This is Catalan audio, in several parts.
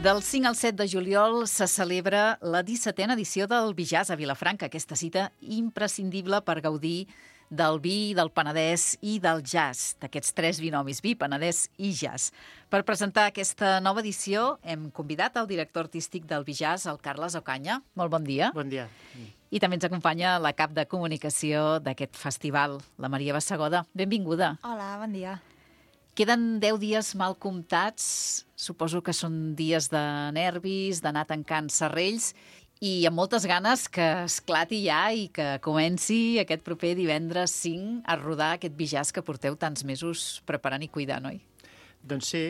Del 5 al 7 de juliol se celebra la 17a edició del Bijazz a Vilafranca, aquesta cita imprescindible per gaudir del vi, del Penedès i del jazz, d'aquests tres binomis, vi, Penedès i jazz. Per presentar aquesta nova edició hem convidat el director artístic del Bijazz, el Carles Ocaña. Molt bon dia. Bon dia. I també ens acompanya la cap de comunicació d'aquest festival, la Maria Bassegoda. Benvinguda. Hola, bon dia. Queden 10 dies mal comptats, suposo que són dies de nervis, d'anar tancant serrells i amb moltes ganes que esclati ja i que comenci aquest proper divendres 5 a rodar aquest Bijazz que porteu tants mesos preparant i cuidant, oi? Doncs sí,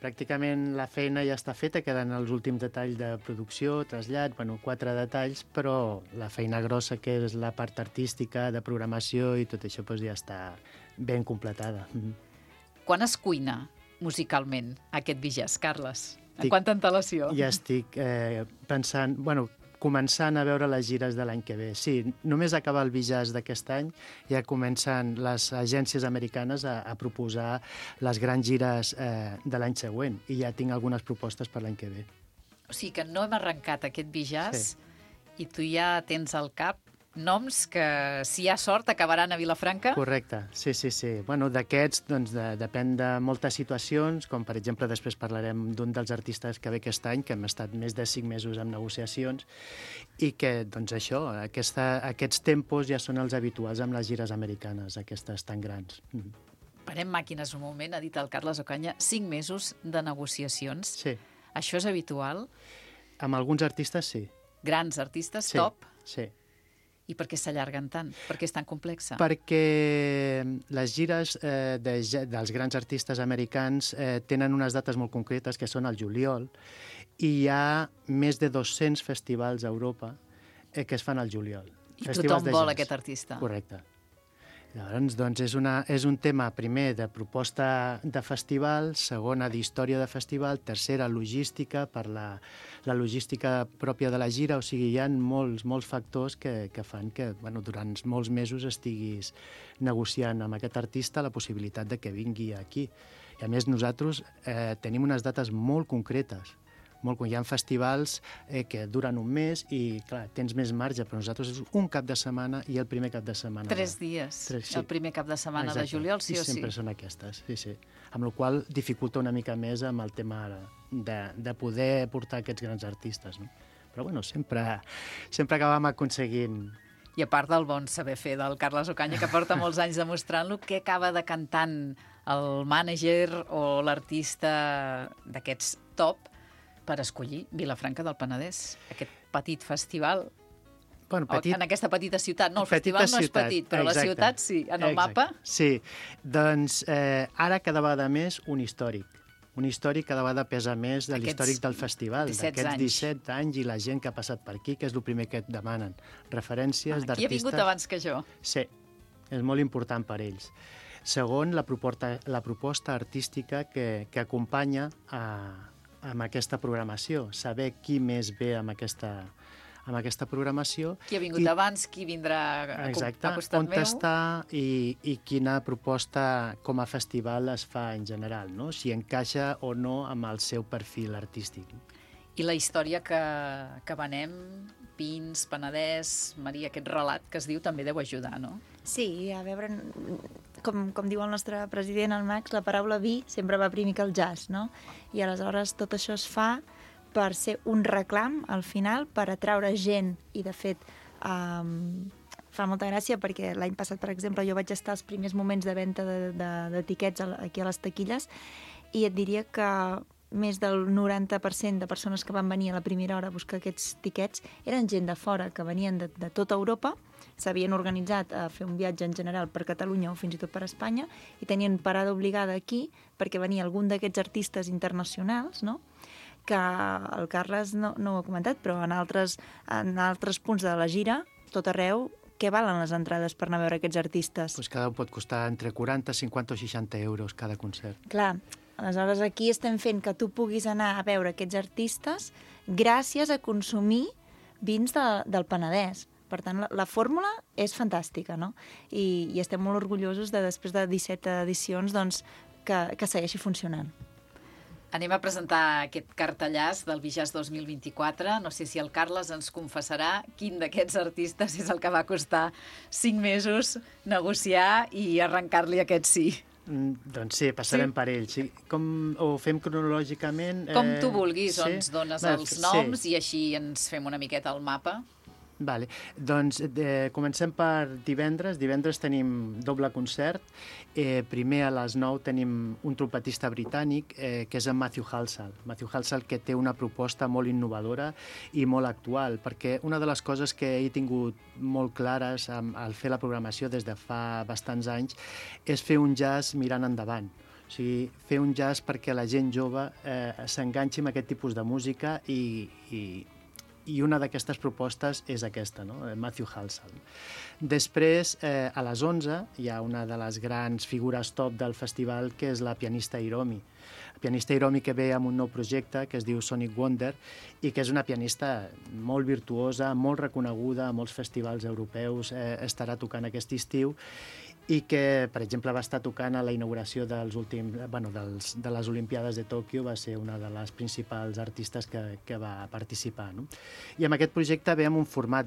pràcticament la feina ja està feta, queden els últims detalls de producció, trasllat, 4 detalls, però la feina grossa, que és la part artística, de programació i tot això, ja està ben completada. Quan es cuina musicalment aquest Bijazz, Carles? En quanta antelació? Ja estic pensant, començant a veure les gires de l'any que ve. Sí, només acabar el Bijazz d'aquest any ja comencen les agències americanes a proposar les grans gires de l'any següent i ja tinc algunes propostes per l'any que ve. O sigui que no hem arrencat aquest Bijazz i tu ja tens al cap noms que, si hi ha sort, acabaran a Vilafranca? Correcte, sí. D'aquests, depèn de moltes situacions, com per exemple després parlarem d'un dels artistes que ve aquest any, que hem estat més de 5 mesos en negociacions, i que, aquests tempos ja són els habituals amb les gires americanes, aquestes tan grans. Parem màquines un moment, ha dit el Carles Ocaña, 5 mesos de negociacions. Sí. Això és habitual? Amb alguns artistes, sí. Grans artistes, sí, top? Sí. I per què s'allarguen tant? Per què és tan complexa? Perquè les gires dels grans artistes americans tenen unes dates molt concretes, que són al juliol, i hi ha més de 200 festivals a Europa que es fan al juliol. I tothom vol aquest artista. Correcte. Llavors, és un tema, primer, de proposta de festival, segona, d'història de festival, tercera, logística, per la logística pròpia de la gira. O sigui, hi ha molts factors que fan que durant molts mesos estiguis negociant amb aquest artista la possibilitat de que vingui aquí. I a més, nosaltres tenim unes dates molt concretes. Hi ha festivals que duren un mes i, clar, tens més marge, però nosaltres és un cap de setmana i el primer cap de setmana. 3 dies, el primer cap de setmana de juliol, sí o sí. I sempre són aquestes, sí. Amb la qual cosa dificulta una mica més amb el tema de poder portar aquests grans artistes, no? Però, sempre acabem aconseguint. I a part del bon saber fer del Carles Ocaña, que porta molts anys demostrant-lo, què acaba decantant el mànager o l'artista d'aquests top per escollir Vilafranca del Penedès, aquest petit festival, en aquesta petita ciutat. No, el festival no és petit, però la ciutat sí, en el mapa. Sí, doncs ara cada vegada més un històric cada vegada pesa més de l'històric del festival, d'aquests 17 anys i la gent que ha passat per aquí, que és el primer que et demanen. Referències d'artistes... Qui ha vingut abans que jo? Sí, és molt important per ells. Segon, la proposta artística que acompanya amb aquesta programació, saber qui més ve amb aquesta programació. Qui ha vingut abans, qui vindrà a costat meu. On està i quina proposta com a festival es fa en general, no? Si encaixa o no amb el seu perfil artístic. I la història que venem, Pins, Penedès, Maria, aquest relat que es diu també deu ajudar, no? Sí, a veure, com diu el nostre president, el Max, la paraula vi sempre va primer que el jazz, no? I aleshores tot això es fa per ser un reclam, al final, per atraure gent. I, de fet, fa molta gràcia perquè l'any passat, per exemple, jo vaig estar als primers moments de venda d'etiquets aquí a les taquilles i et diria que més del 90% de persones que van venir a la primera hora a buscar aquests tiquets eren gent de fora, que venien de tota Europa, s'havien organitzat a fer un viatge en general per Catalunya o fins i tot per Espanya i tenien parada obligada aquí perquè venia algun d'aquests artistes internacionals, no?, que el Carles no ho ha comentat, però en altres punts de la gira, tot arreu, què valen les entrades per anar a veure aquests artistes? Cada un pot costar entre 40, 50 o 60 euros cada concert. Clar, aleshores aquí estem fent que tu puguis anar a veure aquests artistes gràcies a consumir vins del Penedès. Per tant, la fórmula és fantàstica, no? I estem molt orgullosos de, després de 17 edicions, doncs, que segueixi funcionant. Anem a presentar aquest cartellàs del Bijàs 2024. No sé si el Carles ens confessarà quin d'aquests artistes és el que va costar 5 mesos negociar i arrencar-li aquest sí. Doncs sí, passarem per ell. Sí. Ho fem cronològicament? Com tu vulguis, ens dones els noms i així ens fem una miqueta el mapa. Vale. Doncs comencem per divendres. Divendres tenim doble concert. Primer a les 9 tenim un trompetista britànic, que és en Matthew Halsall. Matthew Halsall, que té una proposta molt innovadora i molt actual, perquè una de les coses que he tingut molt clares al fer la programació des de fa bastants anys és fer un jazz mirant endavant. O sigui, fer un jazz perquè la gent jove s'enganxi amb aquest tipus de música i una d'aquestes propostes és aquesta, no? Matthew Halsall. Després, a les 11, hi ha una de les grans figures top del festival, que és la pianista Hiromi. La pianista Hiromi, que ve amb un nou projecte que es diu Sonic Wonder i que és una pianista molt virtuosa, molt reconeguda a molts festivals europeus, estarà tocant aquest estiu, i que, per exemple, va estar tocant a la inauguració de les Olimpiades de Tòquio, va ser una de les principals artistes que va participar. No? I amb aquest projecte ve amb un format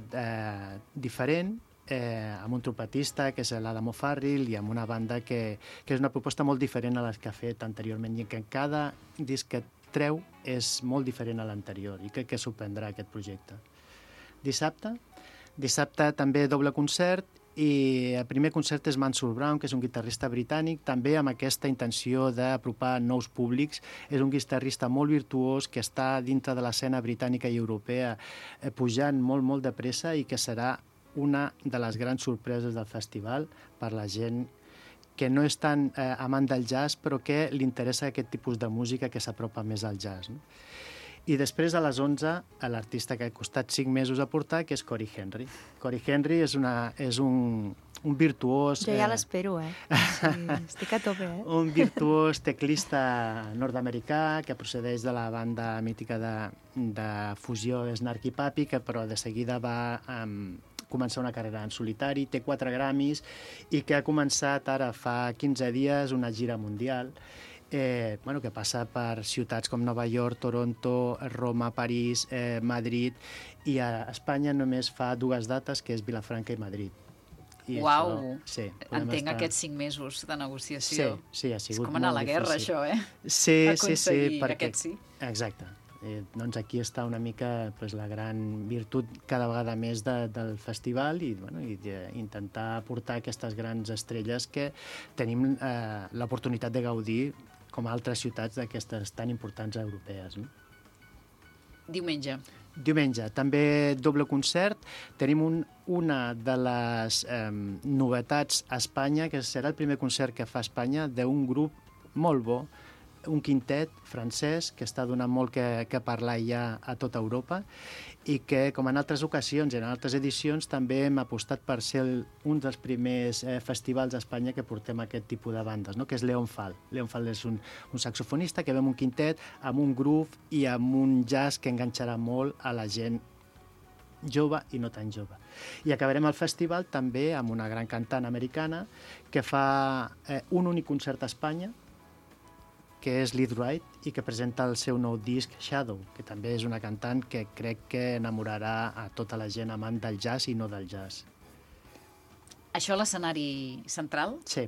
diferent, amb un trompetista, que és l'Adam O'Farrill, i amb una banda que és una proposta molt diferent a les que ha fet anteriorment, i que cada disc que treu és molt diferent a l'anterior, i crec que sorprendrà aquest projecte. Dissabte també doble concert, i el primer concert és Mansour Brown, que és un guitarrista britànic, també amb aquesta intenció d'apropar nous públics. És un guitarrista molt virtuós que està dintre de l'escena britànica i europea pujant molt de pressa i que serà una de les grans sorpreses del festival per la gent que no és tan amant del jazz, però que li interessa aquest tipus de música que s'apropa més al jazz. No? I després, a les 11, l'artista que ha costat 5 mesos a portar, que és Cory Henry. Cory Henry és un virtuós... Jo ja l'espero, Sí, estic a tope, Un virtuós teclista nord-americà que procedeix de la banda mítica de fusió Snarky Puppy, que però de seguida va començar una carrera en solitari, té 4 Grammys i que ha començat ara fa 15 dies una gira mundial que passa per ciutats com Nova York, Toronto, Roma, París, Madrid, i a Espanya només fa 2 dates, que és Vilafranca i Madrid. Uau! Sí, entenc aquests 5 mesos de negociació. Sí, ha sigut molt difícil. És com anar a la guerra, això, Sí, aconseguir aquest sí. Exacte. Doncs aquí està una mica la gran virtut cada vegada més del festival i intentar portar aquestes grans estrelles que tenim l'oportunitat de gaudir com a altres ciutats d'aquestes tan importants europees. No? Diumenge, també doble concert. Tenim una de les novetats a Espanya, que serà el primer concert que fa a Espanya d'un grup molt bo, un quintet francès que està donant molt que parlar ja a tota Europa i que, com en altres ocasions i en altres edicions, també hem apostat per ser un dels primers festivals a Espanya que portem aquest tipus de bandes, no? Que és Leon Fall. Leon Fall és un saxofonista que ve amb un quintet, amb un groove i amb un jazz que enganxarà molt a la gent jove i no tan jove. I acabarem el festival també amb una gran cantant americana que fa un únic concert a Espanya, que és Lyd Wright, i que presenta el seu nou disc Shadow, que també és una cantant que crec que enamorarà a tota la gent amant del jazz i no del jazz. Això a l'escenari central? Sí.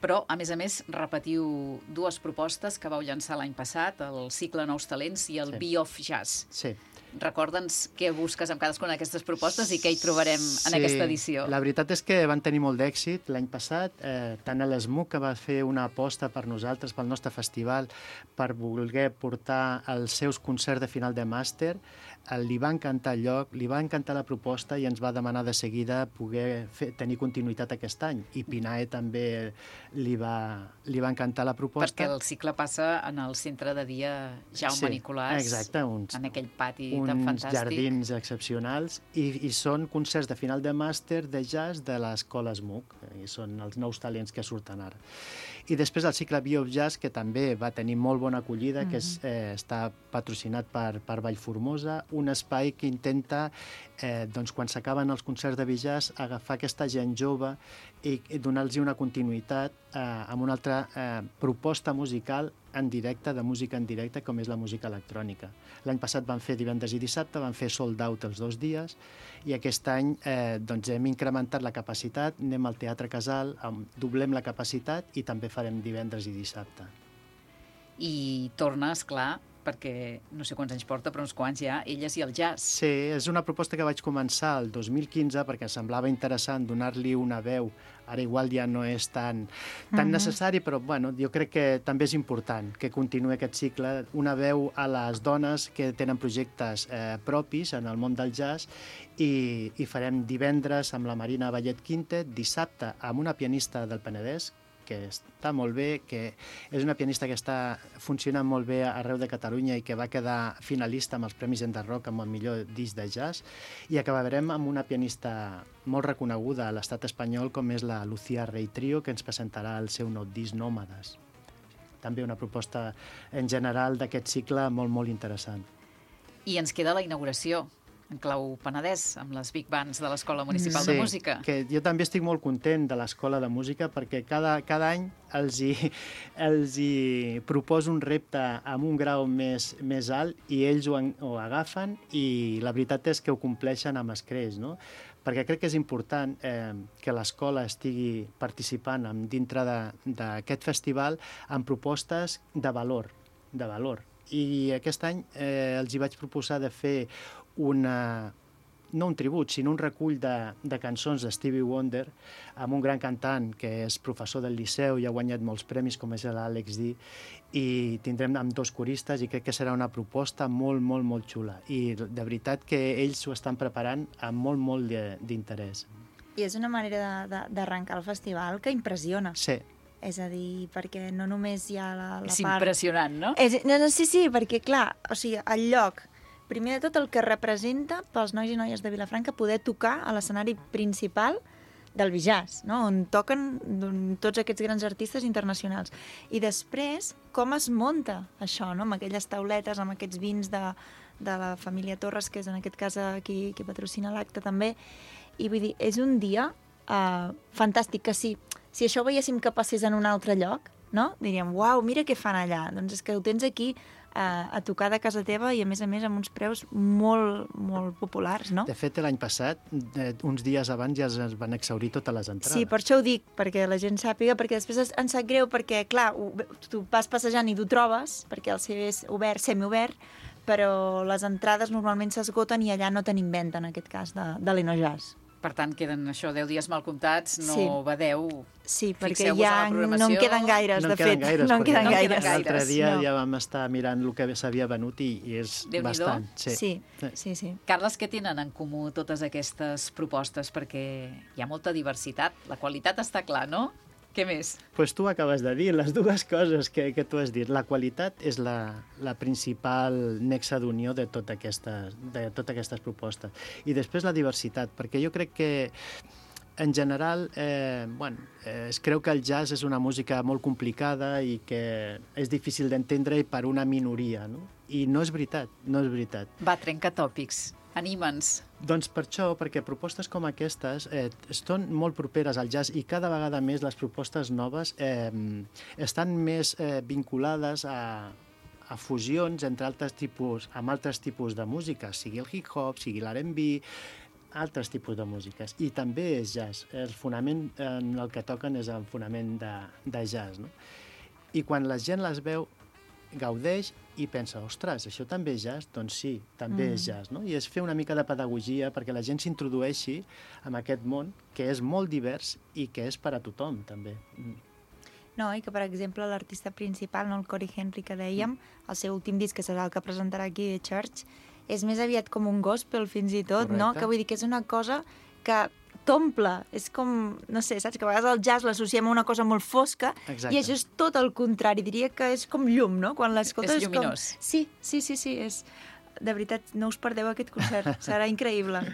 Però, a més, repetiu 2 propostes que vau llançar l'any passat, el cicle Nous Talents i el Be Of Jazz. Sí. Recorda'ns què busques amb cadascuna d'aquestes propostes i què hi trobarem en aquesta edició. La veritat és que van tenir molt d'èxit l'any passat. Tant a l'ESMUC, que va fer una aposta per nosaltres, pel nostre festival, per voler portar els seus concerts de final de màster, li va encantar el lloc, li va encantar la proposta i ens va demanar de seguida poder tenir continuïtat aquest any. I Pinae també li va encantar la proposta. Perquè el cicle passa en el centre de dia Jaume Nicolàs, exacte, en aquell pati tan fantàstic. Uns jardins excepcionals i són concerts de final de màster de jazz de l'escola SMUC, i són els nous talents que surten ara. I després el cicle Be Of Jazz, que també va tenir molt bona acollida, que està patrocinat per Vallformosa, un espai que intenta, doncs, quan s'acaben els concerts de jazz, agafar aquesta gent jove i donar-los una continuïtat amb una altra proposta musical en directe, de música en directe, com és la música electrònica. L'any passat van fer divendres i dissabte, van fer sold out els 2 dies, i aquest any doncs hem incrementat la capacitat, anem al Teatre Casal, doblem la capacitat i també farem divendres i dissabte. I torna, esclar, perquè no sé quants anys porta, però uns quants ja, Elles i el jazz. Sí, és una proposta que vaig començar el 2015 perquè semblava interessant donar-li una veu. Ara igual ja no és tan necessari, però bueno, jo crec que també és important que continuï aquest cicle, una veu a les dones que tenen projectes propis en el món del jazz, i farem divendres amb la Marina Vallet Quintet, dissabte amb una pianista del Penedès, que està molt bé, que és una pianista que està funcionant molt bé arreu de Catalunya i que va quedar finalista amb els Premis Enderrock amb el millor disc de jazz, i acabarem amb una pianista molt reconeguda a l'estat espanyol com és la Lucía Rey Trio, que ens presentarà el seu nou disc Nòmades. També una proposta en general d'aquest cicle molt, molt interessant. I ens queda la inauguració en clau Penedès, amb les Big Bands de l'Escola Municipal de Música. Sí, que jo també estic molt content de l'Escola de Música perquè cada any els hi proposo un repte amb un grau més alt i ells ho agafen, i la veritat és que ho compleixen amb escreix, no? Perquè crec que és important que l'escola estigui participant dintre d'aquest festival amb propostes de valor. I aquest any els hi vaig proposar de fer no un tribut, sinó un recull de cançons de Stevie Wonder amb un gran cantant que és professor del Liceu i ha guanyat molts premis, com és l'Àlex D, i tindrem amb 2 coristes i crec que serà una proposta molt, molt, molt xula. I de veritat que ells ho estan preparant amb molt, molt d'interès. I és una manera d'arrencar el festival que impressiona. Sí. És a dir, perquè no només hi ha la part... És impressionant, no? Sí, perquè clar, o sigui, el lloc, primer de tot el que representa pels nois i noies de Vilafranca poder tocar a l'escenari principal del Bijaz, no? On toquen tots aquests grans artistes internacionals. I després, com es munta això, no? Amb aquelles tauletes, amb aquests vins de la família Torres, que és en aquest cas qui patrocina l'acte també. I vull dir, és un dia fantàstic, que si això ho veiéssim que passés en un altre lloc, no? Diríem, uau, mira què fan allà. Doncs és que ho tens aquí a tocar de casa teva i, a més, amb uns preus molt, molt populars, no? De fet, l'any passat, uns dies abans, ja es van exhaurir totes les entrades. Sí, per això ho dic, perquè la gent sàpiga, perquè després ens sap greu, perquè, clar, tu vas passejant i t'ho trobes, perquè el CV és obert, semiobert, però les entrades normalment s'esgoten i allà no tenim venda, en aquest cas, de l'Enojazz. Per tant, queden 10 dies mal comptats, no badeu. Sí, perquè ja no en queden gaires, de fet. No en queden gaires. L'altre dia ja vam estar mirant el que s'havia venut i és bastant. Sí. Carles, què tenen en comú totes aquestes propostes? Perquè hi ha molta diversitat. La qualitat està clar, no? Què més? Doncs tu acabes de dir les dues coses que tu has dit. La qualitat és la principal nexe d'unió de totes aquestes propostes. I després la diversitat, perquè jo crec que en general es creu que el jazz és una música molt complicada i que és difícil d'entendre per una minoria, no? I no és veritat, no és veritat. Va, trenca tòpics. Anima'ns. Doncs per això, perquè propostes com aquestes estan molt properes al jazz i cada vegada més les propostes noves estan més vinculades a fusions amb altres tipus de música, sigui el hip-hop, sigui l'R&B, altres tipus de músiques. I també és jazz. El fonament en el que toquen és el fonament de jazz, no? I quan la gent les veu, gaudeix i pensa, ostres, això també és jazz? Doncs sí, també és jazz, no? I és fer una mica de pedagogia perquè la gent s'introdueixi en aquest món que és molt divers i que és per a tothom, també. No, i que, per exemple, l'artista principal, no, el Cory Henry, que dèiem, el seu últim disc, que serà el que presentarà aquí The Church, és més aviat com un gospel, fins i tot, correcte, no? Que vull dir que és una cosa que t'omple, és com, no sé, saps? Que a vegades el jazz l'associem a una cosa molt fosca. Exacte. I això és tot el contrari, diria que és com llum, no? Quan l'escoltes és lluminós. Sí, és... De veritat, no us perdeu aquest concert, serà increïble.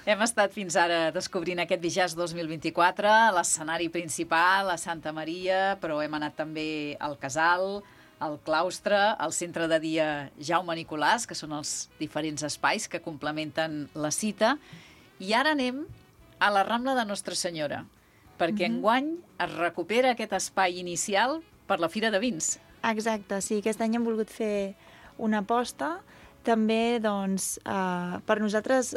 Hem estat fins ara descobrint aquest Bijaz 2024, l'escenari principal, a Santa Maria, però hem anat també al Casal, el claustre, el centre de dia Jaume Nicolàs, que són els diferents espais que complementen la cita. I ara anem a la Rambla de Nostra Senyora, perquè enguany es recupera aquest espai inicial per la Fira de Vins. Exacte, sí, aquest any hem volgut fer una aposta. També, doncs, per nosaltres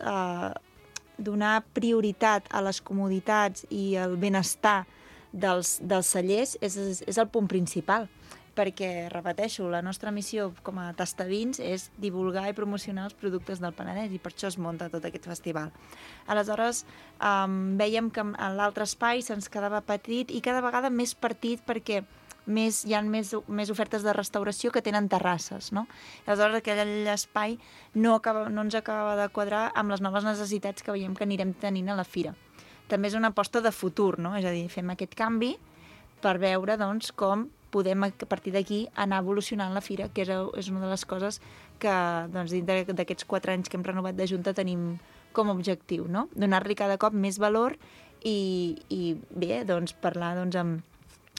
donar prioritat a les comoditats i el benestar dels cellers és el punt principal, perquè, repeteixo, la nostra missió com a tastavins és divulgar i promocionar els productes del Penedès i per això es munta tot aquest festival. Aleshores, vèiem que l'altre espai se'ns quedava petit i cada vegada més petit perquè hi ha més ofertes de restauració que tenen terrasses, no? Aleshores, aquell espai no ens acabava de quadrar amb les noves necessitats que veiem que anirem tenint a la fira. També és una aposta de futur, no? És a dir, fem aquest canvi per veure, doncs, com podem, a partir d'aquí, anar evolucionant la fira, que és una de les coses que, doncs, dintre d'aquests 4 anys que hem renovat de Junta tenim com a objectiu, no? Donar-li cada cop més valor i bé, doncs, parlar, doncs,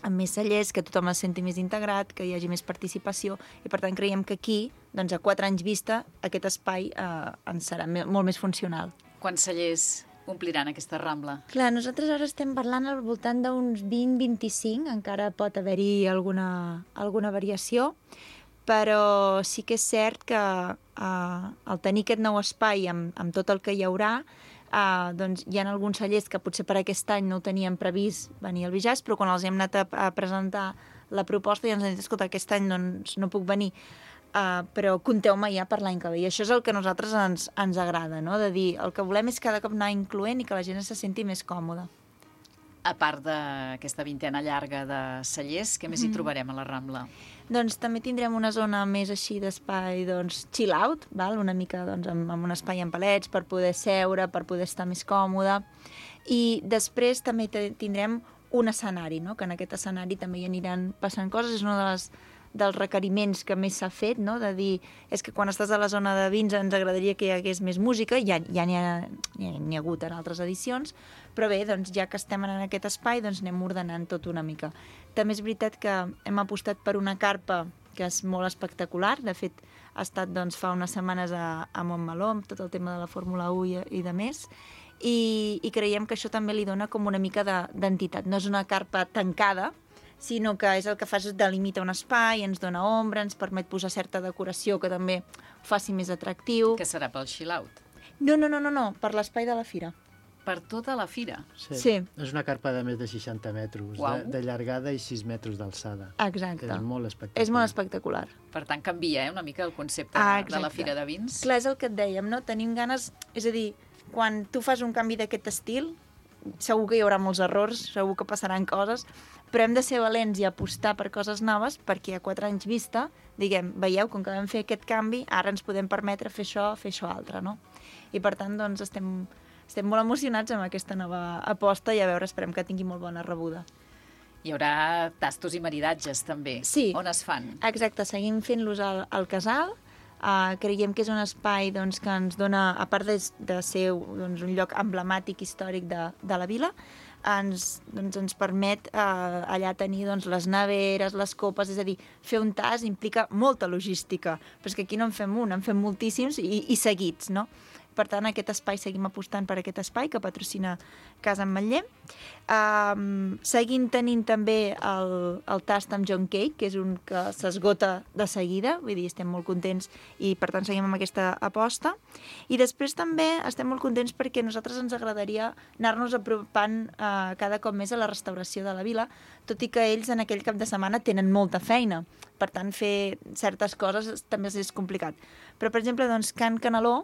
amb més cellers, que tothom es senti més integrat, que hi hagi més participació, i per tant creiem que aquí, doncs a 4 anys vista, aquest espai ens serà molt més funcional. Quants cellers ompliran aquesta Rambla? Clar, nosaltres ara estem parlant al voltant d'uns 20-25, encara pot haver-hi alguna variació, però sí que és cert que al tenir aquest nou espai amb tot el que hi haurà, doncs hi ha alguns cellers que potser per aquest any no ho tenien previst venir al Bijàs, però quan els hem anat a presentar la proposta ja ens han dit, escolta, aquest any doncs, no puc venir, però compteu-me ja per l'any que ve. I això és el que a nosaltres ens agrada, no? De dir, el que volem és cada cop anar incloent i que la gent se senti més còmoda. A part d'aquesta vintena llarga de cellers, què més hi trobarem a la Rambla? Doncs també tindrem una zona més així d'espai, doncs, chill out, val? Una mica doncs, amb un espai en palets per poder seure, per poder estar més còmode. I després també tindrem un escenari, no? Que en aquest escenari també hi aniran passant coses. És una dels requeriments que més s'ha fet, no? De dir, és que quan estàs a la zona de vins ens agradaria que hi hagués més música, ja n'hi ha hagut en altres edicions, però bé, doncs, ja que estem en aquest espai, doncs anem ordenant tot una mica. També és veritat que hem apostat per una carpa que és molt espectacular. De fet, ha estat doncs, fa unes setmanes a Montmeló, amb tot el tema de la Fórmula 1 i de més, i creiem que això també li dona com una mica d'entitat. No és una carpa tancada, sinó que és el que fa és delimitar un espai, ens dona ombra, ens permet posar certa decoració que també ho faci més atractiu. Que serà pel chill out? No, per l'espai de la fira. Per tota la fira? Sí. És una carpa de més de 60 metres de llargada i 6 metres d'alçada. Exacte. És molt espectacular. És molt espectacular. Per tant, canvia una mica el concepte de la Fira de Vins. Clar, és el que et dèiem, no? Tenim ganes... És a dir, quan tu fas un canvi d'aquest estil, segur que hi haurà molts errors, segur que passaran coses, però hem de ser valents i apostar per coses noves perquè a 4 anys vista, diguem, veieu, com que vam fer aquest canvi, ara ens podem permetre fer això altre, no? I per tant, doncs, estem molt emocionats amb aquesta nova aposta i a veure, esperem que tingui molt bona rebuda. Hi haurà tastos i maridatges, també. Sí. On es fan? Exacte, seguim fent-los al casal. Creiem que és un espai doncs, que ens dona, a part de ser doncs, un lloc emblemàtic històric de la vila, ens permet allà tenir doncs, les neveres, les copes, és a dir, fer un tas implica molta logística, però és que aquí no en fem un, en fem moltíssims i seguits, no? Per tant, aquest espai, seguim apostant per aquest espai que patrocina Casa Ametller. Seguim tenint també el tast amb John Cake, que és un que s'esgota de seguida, vull dir, estem molt contents i per tant seguim amb aquesta aposta. I després també estem molt contents perquè a nosaltres ens agradaria anar-nos apropant cada cop més a la restauració de la vila, tot i que ells en aquell cap de setmana tenen molta feina. Per tant, fer certes coses també és complicat. Però, per exemple, doncs, Can Canaló,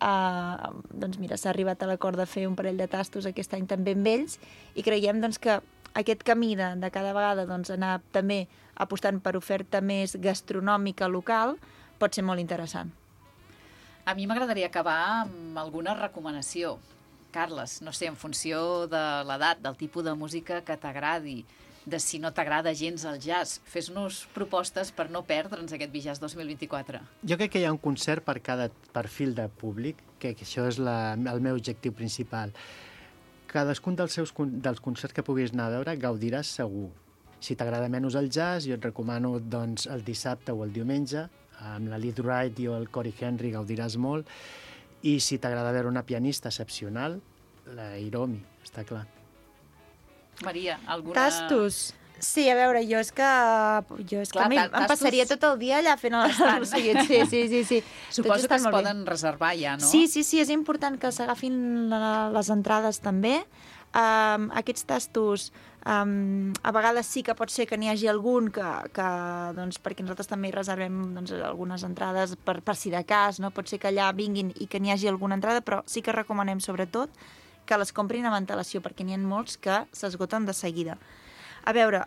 doncs mira, s'ha arribat a l'acord de fer un parell de tastos aquest any també amb ells i creiem doncs, que aquest camí de cada vegada doncs, anar també apostant per oferta més gastronòmica local pot ser molt interessant. A mi m'agradaria acabar amb alguna recomanació. Carles, no sé, en funció de l'edat, del tipus de música que t'agradi, de si no t'agrada gens el jazz, fes-nos propostes per no perdre'ns aquest Bijàs 2024. Jo crec que hi ha un concert per cada perfil de públic, que això és el meu objectiu principal. Cadascun dels concerts que puguis anar a veure gaudiràs segur. Si t'agrada menys el jazz, jo et recomano doncs, el dissabte o el diumenge, amb la Liz Wright i el Cory Henry gaudiràs molt. I si t'agrada veure una pianista excepcional, la Hiromi, està clar. Maria, alguna... Tastos. Sí, a veure, jo és que Clar, em passaria tot el dia allà fent els seguits. Sí. Suposo que es poden reservar ja, no? Sí, és important que s'agafin les entrades també. Aquests tastos, a vegades sí que pot ser que n'hi hagi algun que doncs, perquè nosaltres també hi reservem doncs, algunes entrades per si de cas, no? Pot ser que allà vinguin i que n'hi hagi alguna entrada, però sí que recomanem sobretot que les comprin amb antelació, perquè n'hi ha molts que s'esgoten de seguida. A veure,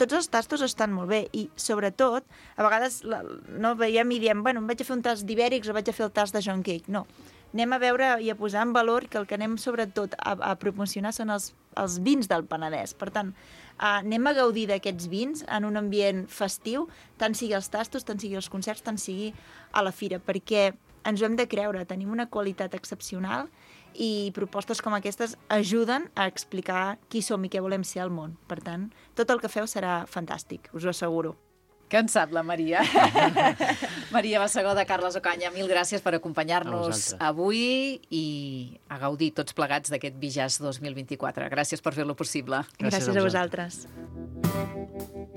tots els tastos estan molt bé i, sobretot, a vegades no veiem i diem, bueno, em vaig a fer un tast d'ibèrics o vaig a fer el tast de John Cake. No, anem a veure i a posar en valor que el que anem, sobretot, a promocionar són els vins del Penedès. Per tant, anem a gaudir d'aquests vins en un ambient festiu, tant sigui els tastos, tant sigui els concerts, tant sigui a la fira, perquè ens ho hem de creure, tenim una qualitat excepcional i propostes com aquestes ajuden a explicar qui som i què volem ser al món. Per tant, tot el que feu serà fantàstic, us ho asseguro. Què en sap la Maria? Maria Basagó de Carles Ocaña, mil gràcies per acompanyar-nos avui i a gaudir tots plegats d'aquest Bijazz 2024. Gràcies per fer-lo possible. Gràcies a vosaltres.